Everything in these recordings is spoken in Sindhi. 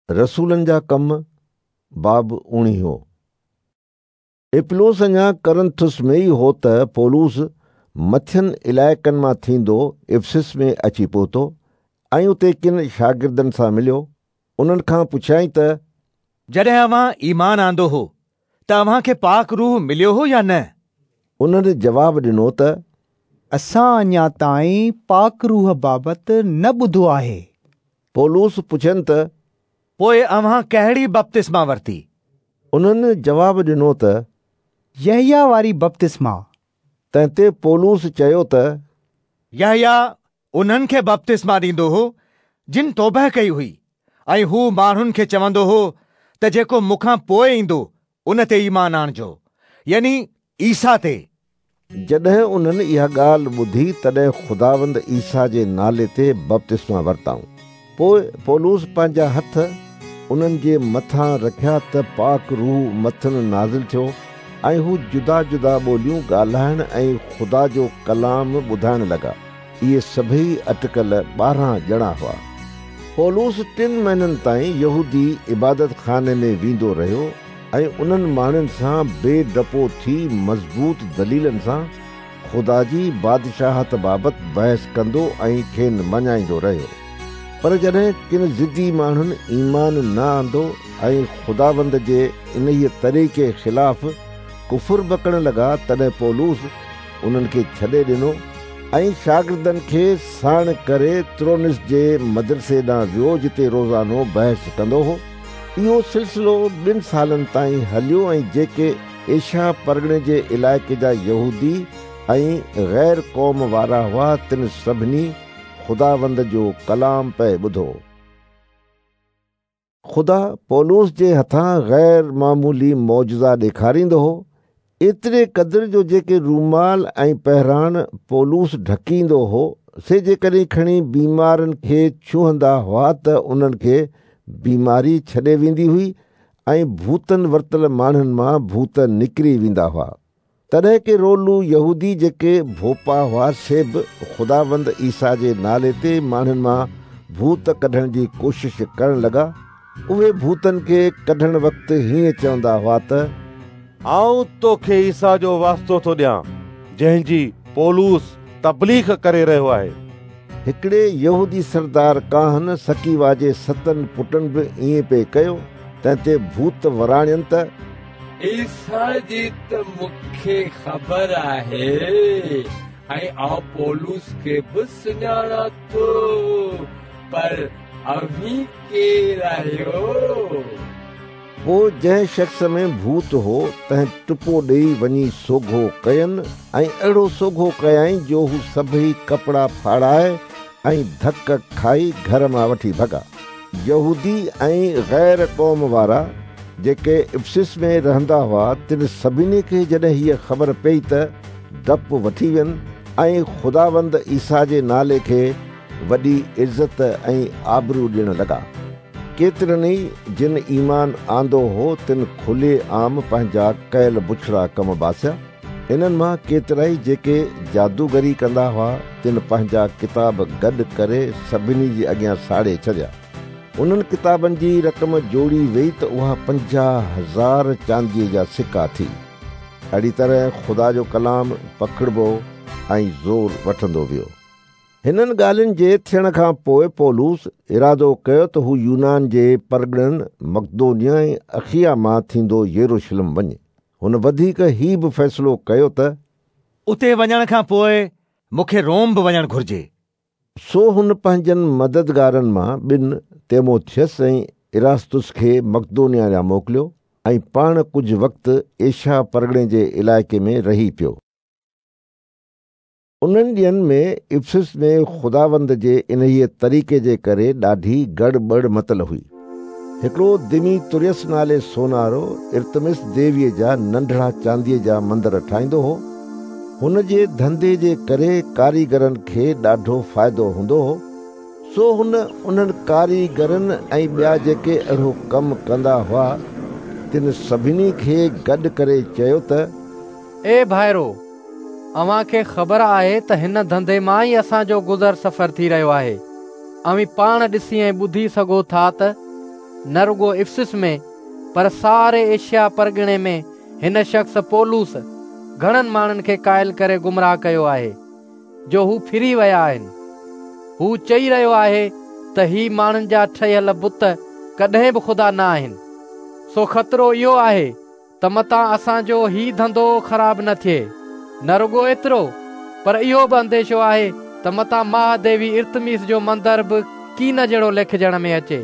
رسولن جا ڪم، باب اوڻيهون. اپلوس اڃا ڪرنٿس ۾ ئي هو ته پولس مٿين علائقن مان ٿيندو افسس ۾ اچي پهتو ۽ اتي ڪن شاگردن سان مليو. انهن کان پڇيائين ته. جڏهن اوهان ايمان آندو هو ته اوهان کي پاڪ روح مليو هو يا نه؟ انهن جواب ڏنو ته. اسان اڃا تائين پاڪ روح بابت نه ٻڌو آهي. پولس پڇين ته. پوء اوهان ڪهڙي بپتسما ورتي؟ انهن جواب ڏنو ته. يحيٰ واري بپتسما. تنهن تي پولس چيو ته. يحيٰ انهن کي بپتسما ڏيندو هو، جن توبهه ڪئي هئي ۽ هو ماڻهن کي چوندو هو ته جيڪو مون کان پوء ايندو، ان تي ايمان آڻجو، يعني عيسيٰ تي. جڏهن انهن اها ڳالهه ٻڌي تڏهن خداوند عيسيٰ جي نالي تي بپتسما ورتائون. پوء پولس پنهنجا هٿ انهن جي مٿان رکيا ته پاڪ روح مٿن نازل ٿيو ۽ هو جدا جدا ٻوليون ڳالهائڻ ۽ خدا جو ڪلام ٻڌائڻ لڳا. اهي سڀيئي اٽڪل 12 ڄڻا هئا. پولس ٽن مهينن تائين يهودي عبادتخاني ۾ ويندو رهيو ۽ انهن ماڻهن سان بي ڊپو ٿي مضبوط دليلن سان خدا جي بادشاهت بابت بحث ڪندو ۽ کين مڃائيندو رهيو. پر جڏهن ڪن ضدي ماڻهن ايمان نه آندو ۽ خداوند جي انهيء طريقي خلاف ڪفر بڪڻ لڳا، تڏهن پولس انهن کي ڇڏي ڏنو ۽ شاگردن کي ساڻ ڪري ترونس جي مدرسي ڏانهن ويو جتي روزانو بحث ڪندو هو. اهو سلسلو ٻن سالن تائين هليو ۽ جيڪي ايشيا پرڳڻي جي علائقي جا يهودي ۽ غير قوم وارا هئا تن سڀني خداوند جو ڪلام پئي ٻڌو. خدا پولس جي هٿان غير معمولي معجزا ڏيکاريندو هو، ايتري قدر جو جيڪي رومال ۽ پهراڻ پولس ڍڪيندو هو، سي جيڪڏهن کڻي بيمارن کي ڇهندا هئا ته انهن کي بيماري ڇڏي ويندي هئي ۽ ڀوتن ورتل ماڻهن مان ڀوت نڪري ويندا هئا. تڏهن ڪي رولو يهودي جيڪي ڀوپا هئا سي به خداوند عيسيٰ جي نالي تي ماڻهن مان ڀوت ڪڍڻ جي ڪوشش ڪرڻ لڳا. اهي ڀوتن کي ڪڍڻ وقت هيئن چوندا هئا ته. آئون توکي عيسيٰ جو واسطو ٿو ڏيان، جنهن جي پولس تبليغ ڪري رهيو آهي. هڪڙي يهودي سردار ڪاهن سڪيوا جي ستن پٽن به ائين پئي ڪيو، تنهن تي ڀوت وراڻين ته. عيسيٰ جي ته مون کي خبر آهي ۽ آئون پولس کي به سڃاڻان ٿو، پر اوهين ڪير آهيو؟ پوء جنهن شخص ۾ ڀوت هو، تنهن ٽپو ڏيئي وڃي سوگهو ڪين ۽ اهڙو سوگهو ڪيائين جو هو سڀئي ڪپڙا ڦاڙائي ۽ ڌڪ کائي گهر مان وٺي ڀڳا. يهودي ۽ غير قوم وارا جيڪي افسس ۾ رهندا هئا، تن سڀني کي جڏهن هيء خبر پيئي ته ڊپ وٺي وين ۽ خداوند عيسيٰ جي نالي کي وڏي عزت ۽ آبرو ڏيڻ لڳا. ڪيترن ئي جن ايمان آندو هو، تن کلي عام پنهنجا ڪيل بڇڙا ڪم باسيا. انهن مان ڪيترائي جيڪي جادوگري ڪندا هئا، تن پنهنجا ڪتاب گڏ ڪري سڀني جي اڳيان ساڙي ڇڏيا. انهن ڪتابن جي رقم جوڙي ويئي ته اها 50,000 چانديء جا سڪا ٿي. اهڙي طرح خدا جو ڪلام پکڙبو ۽ زور وٺندو ويو. هنن ڳالهين جي ٿيڻ کان پوء پولس ارادو ڪيو ته هو يونان جي پرڳڻن مقدونيه ۽ اخيا مان ٿيندو يروشلم وڃي. هن وڌيڪ هي به فيصلو ڪيو ته. اتي وڃڻ کان پوء مون کي روم به وڃڻ گهرجي. سو هن پنهنجن مددگارن مان ٻن، تيموٿيس ۽ اراستس کي مقدونيه ڏانهن موڪليو ۽ پاڻ ڪجهه وقت ايشيا پرڳڻي جي علائقي ۾ رهي پيو. انهن ڏينهن ۾ افسس ۾ خداوند جي انهيء طريقي جي ڪري ڏاڍي گڙ ٻڙ متل هئي. هڪڙو دميتريس نالي سونارو ارتمس ديويء جا ننڍڙا چانديء جا مندر ٺاهيندو هو. هن جي ڌنڌي جي ڪري ڪاريگرن کي ڏاڍو فائدو هوندو هو. سو هن انهن ڪاريگرن ۽ ٻيا جيڪي اهڙو ڪم ڪندا هئا، تن سڀني کي گڏ ڪري چيو ته. اي ڀائرو! اوهان کي خبر آهي ته هن ڌنڌي مان ئي اسان جو گذر سفر ٿي رهيو آهي. اوهين پاڻ ڏسي ۽ ٻڌي سگهو ٿا ته نه رڳو افسس ۾ پر ساري ايشيا پرڳڻي ۾ هن شخص پولس گهڻن ماڻهن کي قائل ڪري گمراهه ڪيو آهي، جو هو ڦري ويا آهن. هو چئي رهيو آهي ته هي ماڻهن جا ٺهيل بت ڪڏهن به خدا نه آهن. سو خطرو اهو آهي ته متان اسان جو هي ڌنڌو خراب نه ٿئي. نه رڳو ايترو، پر اهو به انديشو آهي ته متان مها ديوي ارتميس جو مندر به ڪين جهڙو ليکجڻ ۾ اچي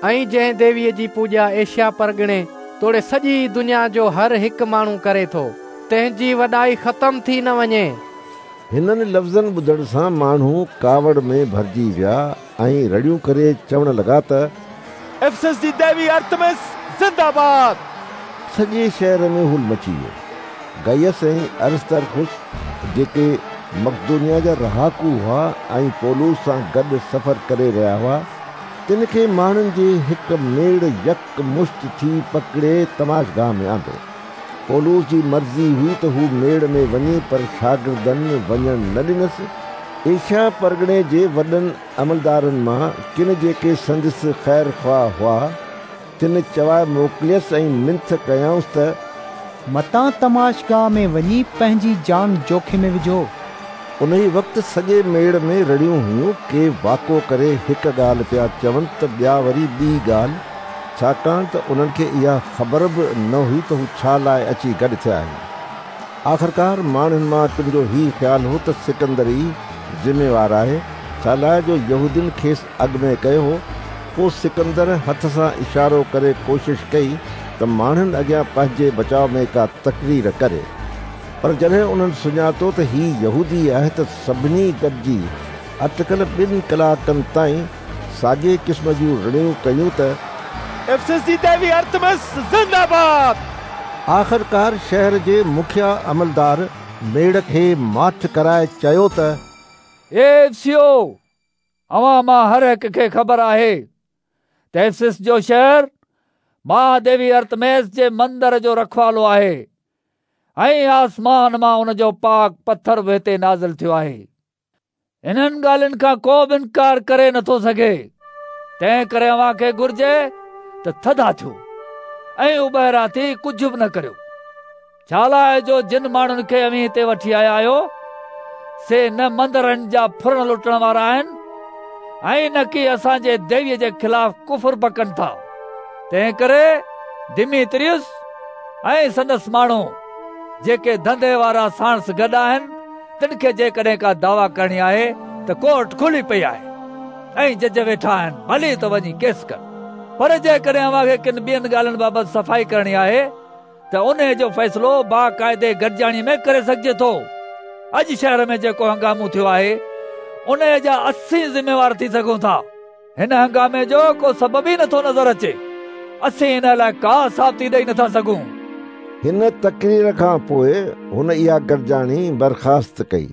۽ جنهن ديويء جي پوڄا ايشيا پرڳڻي توڙي سڄي دنيا جو هر هڪ ماڻهو ڪري ٿو، تنهن جي وڏائي ختم ٿي نه وڃي. هنن لفظن ٻڌڻ سان ماڻهو ڪاوڙ ۾ ڀرجي ويا ۽ رڙيون ڪري چوڻ لڳا ته. افسس جي ديوي ارتمس زنده باد! سڄي شهر ۾ هول مچي ويو. گئيس ۽ ارسترخس جيڪي مقدونيا جا رهاڪو هئا ۽ پولس سان گڏ سفر ڪري رهيا هئا، تن کي ماڻهن جي هڪ ميڙ يڪ مشت ٿي پڪڙي تماشگاهه ۾ آندو. پولس جي مرضي هئي ته هو ميڙ ۾ وڃي پر شاگردن وڃڻ نه ڏنس. ايشيا پرڳڻي جي وڏن عملدارن مان ڪن جيڪي سندس خير خواهه هئا، تن چوائي موڪليس ۽ منٿ ڪيائونس ته. متان تماشگاهه ۾ وڃي پنهنجي جان جوکي ۾ وجهو. انهيء وقت سڄي ميڙ ۾ رڙيون هيون، ڪي واڪو ڪري هڪ ڳالهه پيا چون ته ٻيا وري ٻي ڳالهه، ڇاڪاڻ ته انهن کي اها خبر به نه هئي ته هو ڇا لاء اچي گڏ ٿيا آهن. آخرڪار ماڻهن مان ڪن جو هي خيال هو ته سڪندر ئي ذميوار آهي، ڇالاء جو يهودين کيس اڳ ۾ ڪيو هو. پوء سڪندر هٿ سان اشارو ڪري ڪوشش ڪئي ته ماڻهن اڳيان پنهنجي بچاء ۾ ڪا تقرير ڪري. پر جڏهن انهن سڃاتو ته هي يهودي آهي ته سڀني گڏجي اٽڪل ٻن ڪلاڪن تائين ساڳئي قسم جون رڙيون ڪيون ته. افسس جي ديوي ارتمس زنده باد! آخرڪار شهر جي مکيه عملدار ميڙ کي ماٺ ڪرائي چيو ته. اي افسيو! اوهان مان هر هڪ کي خبر آهي ته افسس جو شهر مها ديوي ارتميس جي مندر جو رکوالو آهي ۽ آسمان مان ان جو پاڪ پٿر به هتي نازل ٿيو آهي. انهن ڳالهين کان ڪو به انڪار ڪري نٿو سگهي، تنهن ڪري اوهان کي گهرجي ته ٿڌا ٿيو ۽ اٻهرا ٿي ڪجهه به نه ڪريو، ڇالاء جو جن ماڻهن کي اوهين هتي وٺي آيا آهيو، سي نه مندرن جا ڦرڻ لٽڻ وارا آهن ۽ نه ڪي اسان جي ديويء جي خلاف ڪفر بڪن ٿا. تنهن ڪري دميتريس ۽ سندس ماڻهو، جيڪي ڌنڌي وارا ساڻس گڏ آهن، تن کي جيڪڏهن ڪا دعويٰ ڪرڻي آهي ته ڪورٽ کلي پئي آهي ۽ جج ويٺا آهن، ڀلي ته وڃي ڪيس ڪن. پر جيڪڏهن اوهان کي ڪن ٻين ڳالهين بابت صفائي ڪرڻي آهي ته انهيء جو فيصلو باقاعدي گڏجاڻيء ۾ ڪري سگهجي ٿو. اڄ شهر ۾ جيڪو هنگامو ٿيو آهي، انهيء جا اسين ذميوار ٿي سگهون ٿا. هن هنگامي جو ڪو سبب ئي نٿو نظر اچي. اسين ان لاء ڪا ثابتي ڏئي نٿا سگهون. هن تقرير کان پوء هن اها گڏجاڻي برخاست ڪئي.